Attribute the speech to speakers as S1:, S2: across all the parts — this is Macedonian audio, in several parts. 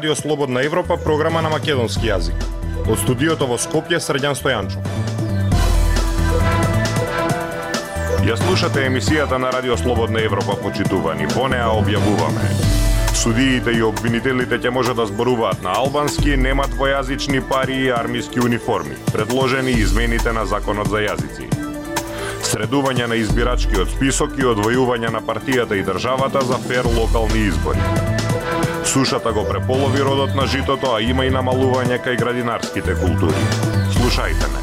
S1: Радио Слободна Европа, програма на македонски јазик. Од студиото во Скопје, Срđan Стојанчов. Ја слушате емисијата на Радио Слободна Европа, почитувани. Во неа објавуваме: судиите и обвинителите ќе може да зборуваат на албански, нема двојазични пари и армиски униформи. Предложени измените на Законот за јазици. Средување на избирачкиот список и одвојување на партијата и државата за фер локални избори. Сушата го преполови родот на житото, а има и намалување кај градинарските култури. Слушајте ме.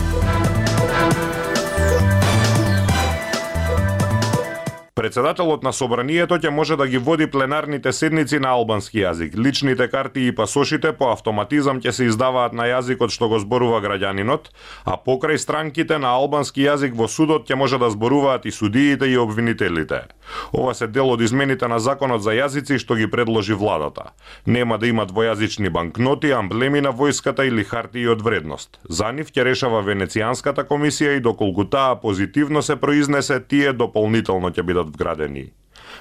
S1: Председателот на собранието ќе може да ги води пленарните седници на албански јазик. Личните карти и пасошите по автоматизам ќе се издаваат на јазикот што го зборува граѓанинот, а покрај странките на албански јазик во судот ќе може да зборуваат и судиите и обвинителите. Ова се дел од измените на Законот за јазици што ги предложи владата. Нема да има двојазични банкноти, амблеми на војската или хартии од вредност. За нив ќе решава Венецијанската комисија и доколку таа позитивно се произнесе, тие дополнително ќе бидат вградени.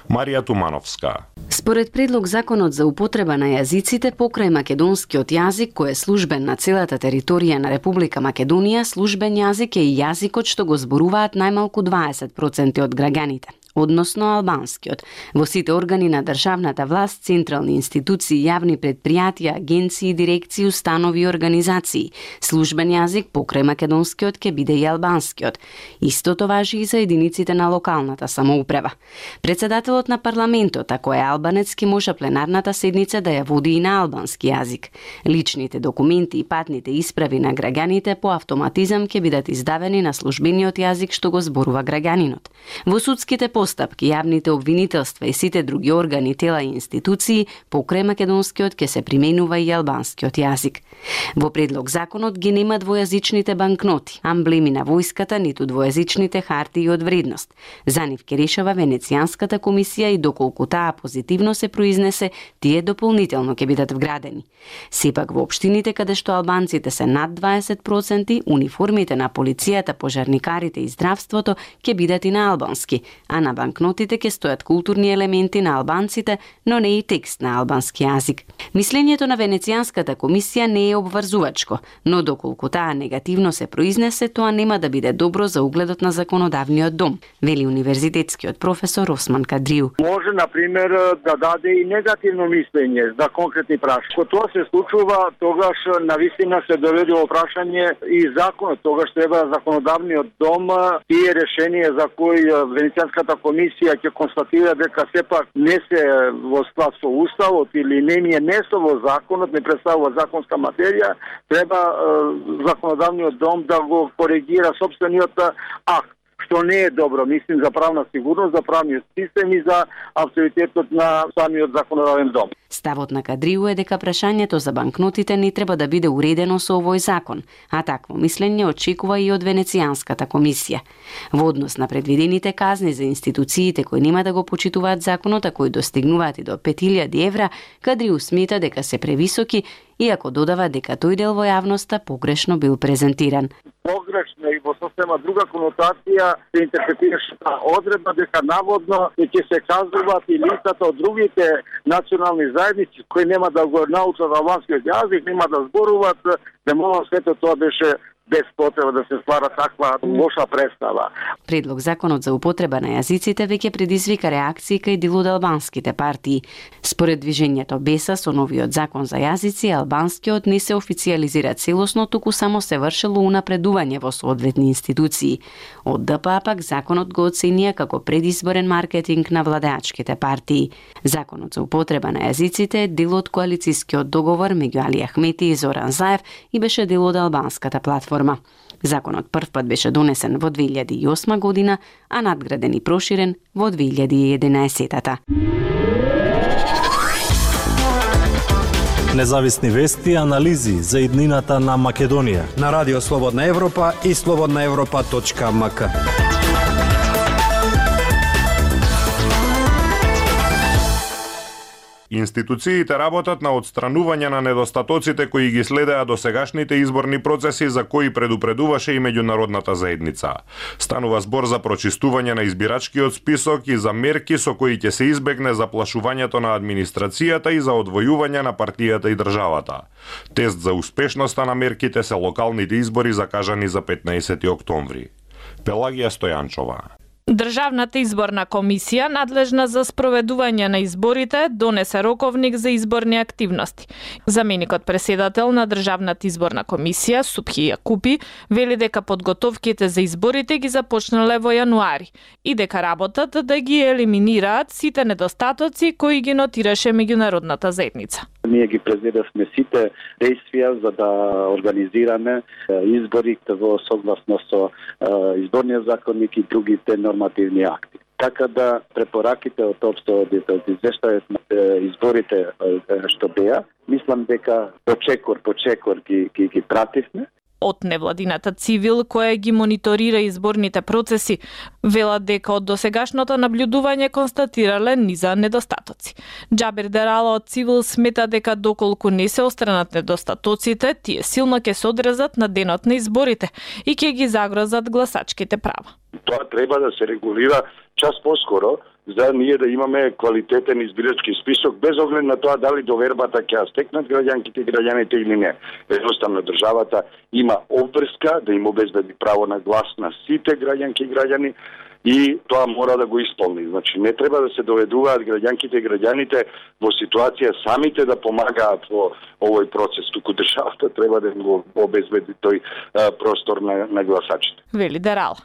S1: Марија Тумановска.
S2: Според предлог Законот за употреба на јазиците покрај македонскиот јазик, кој е службен на целата територија на Република Македонија, службен јазик е и јазикот што го зборуваат најмалку 20% од граѓаните, односно албанскиот. Во сите органи на државната власт, централни институции, јавни предпријатија, агенции, дирекции, установи и организации, службен јазик покрај македонскиот ќе биде и албанскиот. Истото важи и за единиците на локалната самоуправа. Председателот на парламентот, ако е албанец, ќе може пленарната седница да ја води и на албански јазик. Личните документи и патните исправи на граѓаните по автоматизам ќе бидат издавени на службениот јазик што го зборува граѓанинот. Во судските постапки, јавните обвинителства и сите други органи, тела и институции, покрај македонскиот ќе се применува и албанскиот јазик. Во предлог законот ги нема двојазичните банкноти, амблеми на војската, ниту двојазичните хартии од вредност. За нив ќе решава Венецијанската комисија и доколку таа позитивно се произнесе, тие дополнително ќе бидат вградени. Сепак во општините каде што албанците се над 20%, униформите на полицијата, пожарникарите и здравството ќе бидат и на албански, а на банкнотите ќе стојат културни елементи на албанците, но не и текст на албански јазик. Мислењето на Венецијанската комисија не е обврзувачко, но доколку таа негативно се произнесе, тоа нема да биде добро за угледот на законодавниот дом, вели универзитетскиот професор Осман Кадриу.
S3: Може, например, да даде и негативно мислење за конкретни прашања. Кога тоа се случува, тогаш навистина се доведе во прашање и законот. Тогаш треба законодавниот дом тие решенија за кои Венецијанската комисија ќе констатира дека сепак не се во склад со уставот или не ми е место во законот, не представува законска материја, треба законодавниот дом да го коригира сопствениот акт, што не е добро, мислим, за правна сигурност, за правниот систем и за авторитетот на самиот законодавен дом.
S2: Ставот на Кадриу е дека прашањето за банкнотите не треба да биде уредено со овој закон, а такво мислење очекува и од Венецијанската комисија. Во однос на предвидените казни за институциите кои нема да го почитуваат законот, а кои достигнуваат и до 5000 евра, Кадриу смета дека се превисоки, иако додава дека тој дел во јавноста погрешно бил презентиран.
S3: Погрешно и во сосема друга конотација се интерпретираше одредба дека наводно ќе се казуваат и лицата од другите национални заедници кои нема да го научат албанскиот јазик, нема да зборуваат, демола сето тоа беше без потреба да се ствара таква лоша представа.
S2: Предлог Законот за употреба на јазиците веќе предизвика реакции кај дел од албанските партии. Според движењето Беса, со новиот закон за јазици, албанскиот не се официјализира целосно, туку само се вршело унапредување во соодветни институции. Од ДПА пак законот го оценија како предизборен маркетинг на владеачките партии. Законот за употреба на јазиците е дел од коалицискиот договор меѓу Али Ахмети и Зоран Заев и беше дел од албанската платформа. Законот првпат беше донесен во 2008 година, а надграден и проширен во 2011-та.
S4: Независни вести и анализи за иднината на Македонија
S5: на Радио Слободна Европа и slobodnaevropa.mk.
S1: Институциите работат на отстранување на недостатоците кои ги следеа досегашните изборни процеси за кои предупредуваше и меѓународната заедница. Станува збор за прочистување на избирачкиот список и за мерки со кои ќе се избегне заплашувањето на администрацијата и за одвојување на партијата и државата. Тест за успешноста на мерките се локалните избори закажани за 15 октомври. Пелагија Стојанчова.
S6: Државната изборна комисија, надлежна за спроведување на изборите, донесе роковник за изборни активности. Заменикот преседател на Државната изборна комисија, Субхи Јакупи, вели дека подготовките за изборите ги започнале во јануари и дека работат да ги елиминираат сите недостатоци кои ги нотираше меѓународната заедница.
S7: Ние ги презедавме сите действија за да организираме изборите во согласно со изборниот законник и другите нормативни акти. Така да препораките од општиот извештајот на изборите што беа, мислам дека по чекор ги пративме.
S6: Од невладината цивил која ги мониторира изборните процеси, велат дека од досегашното наблюдување констатирале низа недостатоци. Џабир Дерала од цивил смета дека доколку не се остранат недостатоците, тие силно ќе се одрезат на денот на изборите и ќе ги загрозат гласачките права.
S8: Тоа треба да се регулира час поскоро, за ние да имаме квалитетен избирачки список, без оглед на тоа дали довербата ќе ја стекнат граѓанките и граѓаните или не. Едноставно државата има обврска да им обезбеди право на глас на сите граѓанки и граѓани и тоа мора да го исполни. Значи не треба да се доведуваат граѓанките и граѓаните во ситуација самите да помагаат во овој процес, туку државата треба да им го обезбеди тој простор на гласачите.
S6: Вели Дерала.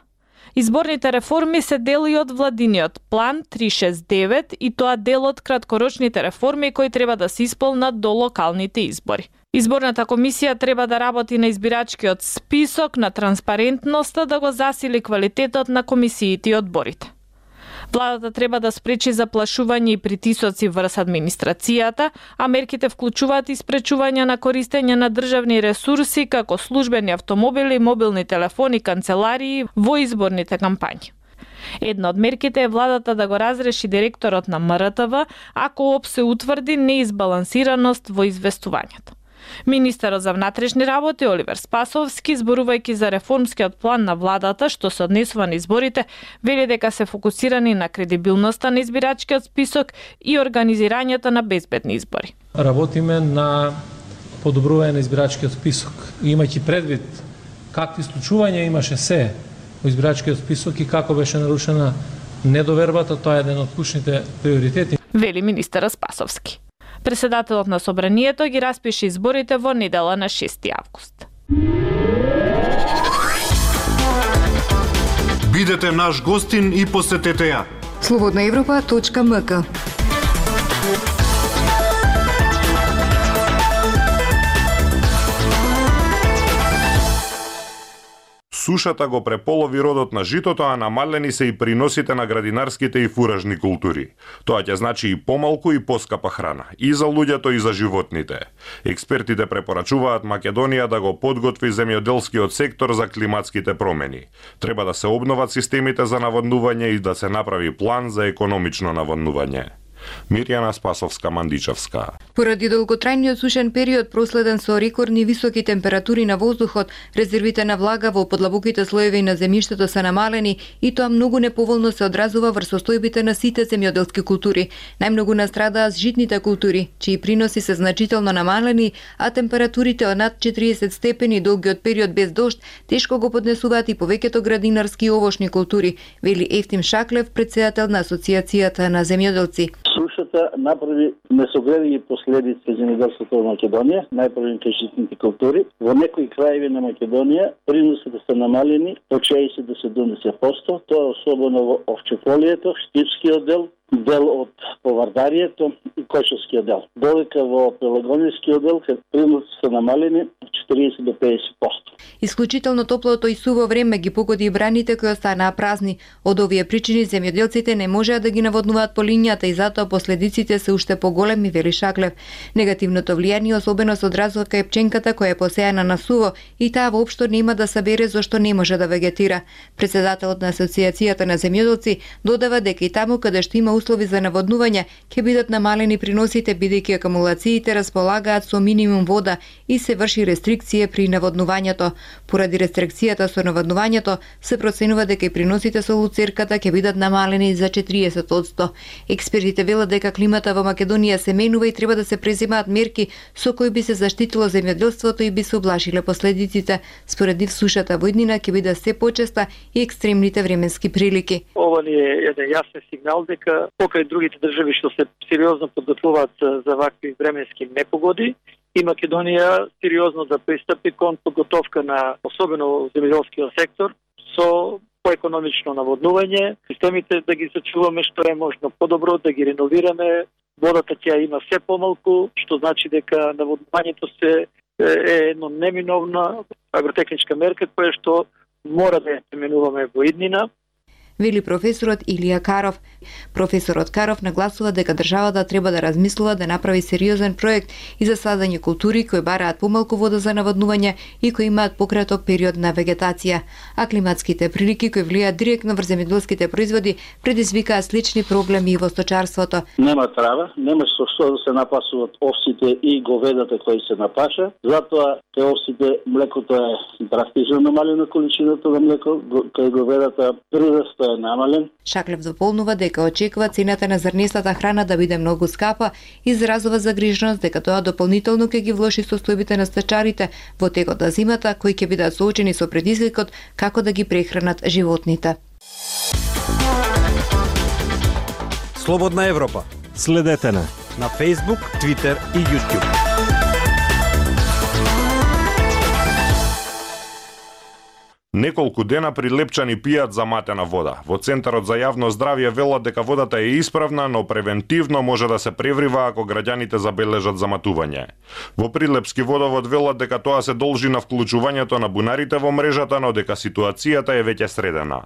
S6: Изборните реформи се дел и од владиниот план 369 и тоа дел од краткорочните реформи кои треба да се исполнат до локалните избори. Изборната комисија треба да работи на избирачкиот список, на транспарентноста, да го засили квалитетот на комисиите и одборите. Владата треба да спречи заплашување и притисоци врз администрацијата, а мерките вклучуваат и спречување на користење на државни ресурси како службени автомобили, мобилни телефони, канцеларии во изборните кампањи. Една од мерките е владата да го разреши директорот на МРТВ ако се утврди неизбалансираност во известувањето. Министерот за внатрешни работи Оливер Спасовски, зборувајќи за реформскиот план на владата што се однесува на изборите, вели дека се фокусирани на кредибилноста на избирачкиот список и организирањето на безбедни избори.
S9: Работиме на подобрување на избирачкиот список. Имајќи предвид какви случувања имаше се во избирачкиот список и како беше нарушена недовербата, тоа е еден од клучните приоритети.
S6: Вели министерот Спасовски. Преседателот на собранието ги распише изборите во недела на 6 август.
S10: Бидете наш гостин и посетете ја.
S11: Slobodnaevropa.mk.
S1: Сушата го преполови родот на житото, а намалени се и приносите на градинарските и фуражни култури. Тоа ќе значи и помалку и поскапа храна, и за луѓето и за животните. Експертите препорачуваат Македонија да го подготви земјоделскиот сектор за климатските промени. Треба да се обноват системите за наводнување и да се направи план за економично наводнување. Мирјана Спасовска-Мандичевска.
S11: Поради долготрајниот сушен период проследен со рекордни високи температури на воздухот, резервите на влага во подлабоките слоеви на земјиштето се намалени и тоа многу неповолно се одразува врз состојбите на сите земјоделски култури. Најмногу настрадаат житните култури, чии приноси се значително намалени, а температурите од над 40 степени долгиот период без дожд тешко го поднесуваат и повеќето градинарски и овошни култури, вели Ефтим Шаклев, председател на Асоциацијата на земјоделци.
S7: Сушата направи несогледливи последици за земјоделството во Македонија, најпрвите житните култури. Во некои краеви на Македонија приносите се намалени од 60 до 70%, тоа особено во овчефолието, штипскиот дел од повардарието и кочевскиот дел. Додека во пелагонискиот дел приносите се намалени од 40 до 50%.
S11: Исклучително топлото и суво време ги погоди и браните кои останаа празни. Од овие причини земјоделците не можеа да ги наводнуваат по линијата и затоа последиците се уште поголеми, вели Шаклев. Негативното влијание особено се одразува кај пченката која е посејана на суво и таа воопшто нема да сабере зашто не може да вегетира. Претседателот на Асоциацијата на земјоделци додава дека и таму каде што има услови за наводнување ќе бидат намалени приносите бидејќи акумулациите располагаат со минимум вода и се врши рестрикција при наводнувањето. Поради рестрикцијата со наводнувањето се проценува дека и приносите со луцерката ќе бидат намалени за 40%. Експертите велат дека климата во Македонија се менува и треба да се преземаат мерки со кои би се заштитило земјоделството и би се облажиле последиците. Според нив сушата во иднина ќе биде се почеста и екстремните временски прилики.
S12: Ова ни е еден јасен сигнал дека покрај другите држави што се сериозно подготвуваат за вакви временски непогоди, и Македонија сериозно да пристапи кон подготовка на особено земјоделскиот сектор со поекономично наводнување, системите да ги сачуваме што е можно подобро, да ги реновираме. Водата ќе има се помалку, што значи дека наводнувањето се е едно неминовна агротехничка мерка која што мора да ја применуваме во иднина.
S11: Вели професорот Илија Каров. Професорот Каров нагласува дека државата треба да размислува да направи сериозен проект и за садење култури кои бараат помалку вода за наводнување и кои имаат пократок период на вегетација. А климатските прилики кои влијаат директно врз земјоделските производи предизвикаат слични проблеми и во сточарството.
S13: Нема трава, нема со што да се напасуваат овците и говедата кои се напаша, затоа кај овците млекото е драстично намалено количината на млеко, кај говедата прираст е намален.
S11: Шаклев дополнува дека очекува цената на зрнестата храна да биде многу скапа и изразува загриженост дека тоа дополнително ќе ги влоши состојбите на стачарите во текот на зимата кои ќе бидат соочени со предизвикот како да ги прехранат животните.
S5: Слободна Европа.
S4: Следете на
S5: Facebook, Twitter и YouTube.
S1: Неколку дена прилепчани пијат заматена вода. Во Центарот за јавно здравје велат дека водата е исправна, но превентивно може да се преврива ако граѓаните забележат заматување. Во Прилепски водовод велат дека тоа се должи на вклучувањето на бунарите во мрежата, но дека ситуацијата е веќе средена.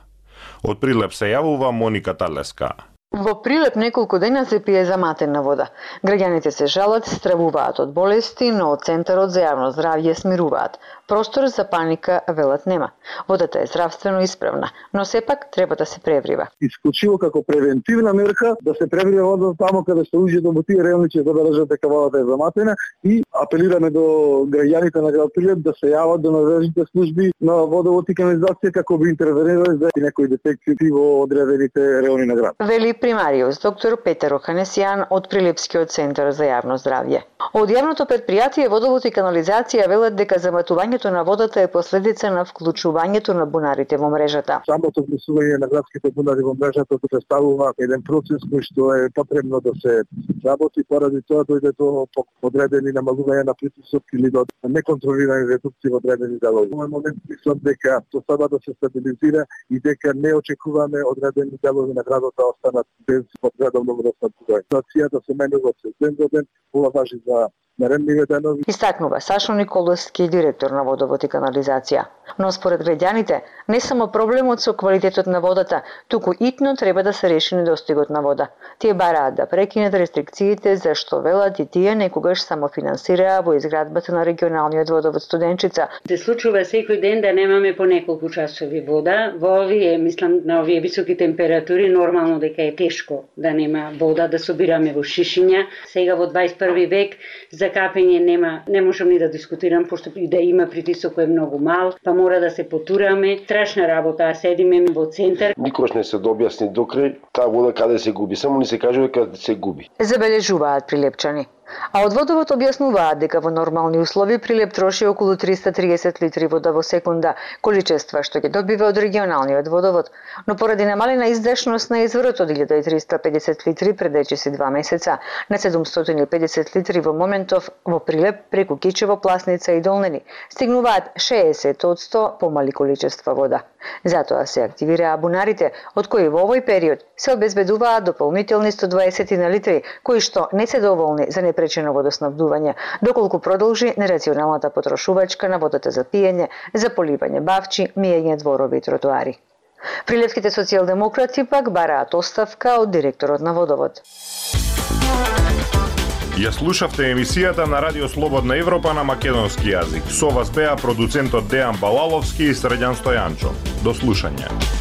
S1: Од Прилеп се јавува Моника Талеска.
S14: Во Прилеп неколку дена се пие заматена вода. Граѓаните се жалат, стравуваат од болести, но од Центарот за јавно здравје смируваат. Простор за паника велат нема. Водата е здравствено исправна, но сепак треба да се преврива.
S15: Исклучиво како превентивна мерка да се преврива водата таму каде што уѓето во тие райони ќе забележат дека водата е заматена и апелираме до граѓаните на град Прилеп да се јават до надлежните служби на водовод и канализација како би интервенирале за некои дефекти во одредените райони на град.
S14: Вели примариус доктор Петер Оханесијан од Прилепскиот центар за јавно здравје. Од јавното предпријатие Водовод и канализација велат дека заматувањето на водата е последица на вклучувањето на бунарите во мрежата.
S15: Самото вклучување на градските бунари во мрежата представува еден процес кој што е потребно да се работи, поради тоа дојде до одредени намалување на притисок или до неконтролирани редукции во одредени делови. Во момент мислам дека тоа треба да се стабилизира и дека не очекуваме одредени делови на градот да останат без подредовно водоснабдување. Ситуацијата се менува од ден до ден, ова важи за наредниве денови.
S14: Истакнува Сашо Николовски, директор на Водовод и канализација. Но според граѓаните, не само проблемот со квалитетот на водата, туку итно треба да се реши недостигот на вода. Тие бараат да прекинат рестрикциите, зашто велат и тие некогаш самофинансираа во изградбата на регионалниот водовод Студенчица.
S16: Се случува секој ден да немаме по неколку часови вода. Во овие, мислам, на овие високи температури, нормално дека е тешко да нема вода, да собираме во шишиња. Сега во 21 век за капење не можам ни да дискутирам, пошто и да има притисок кој е многу мал, па мора да се потураме. Страшна работа, а седиме во центар.
S17: Никош не се објасни докрај таа вода каде се губи, само ни се кажува дека се губи.
S14: Забележуваат прилепчани. А од водовод објаснуваат дека во нормални услови Прилеп троши околу 330 литри вода во секунда, количества што ги добива од регионалниот водовод, но поради намалена издашност на изворот од 1350 литри пред речиси 2 месеца на 750 литри во моментов во Прилеп преку Кичево, Пласница и Долнени стигнуваат 60% помали количества вода. Затоа се активираа бунарите, од кои во овој период се обезбедуваат дополнителни 120 на литри, кои што не се доволни за непречено водоснабдување, доколку продолжи нерационалната потрошувачка на водата за пиење, за поливање бавчи, миење дворови и тротоари. Прилевките социјалдемократи пак бараат оставка од директорот на Водовод.
S1: Ја слушавте емисијата на Радио Слободна Европа на македонски јазик. Со вас беа продуцентот Дејан Балаловски и Средјан Стојанчо. До слушање.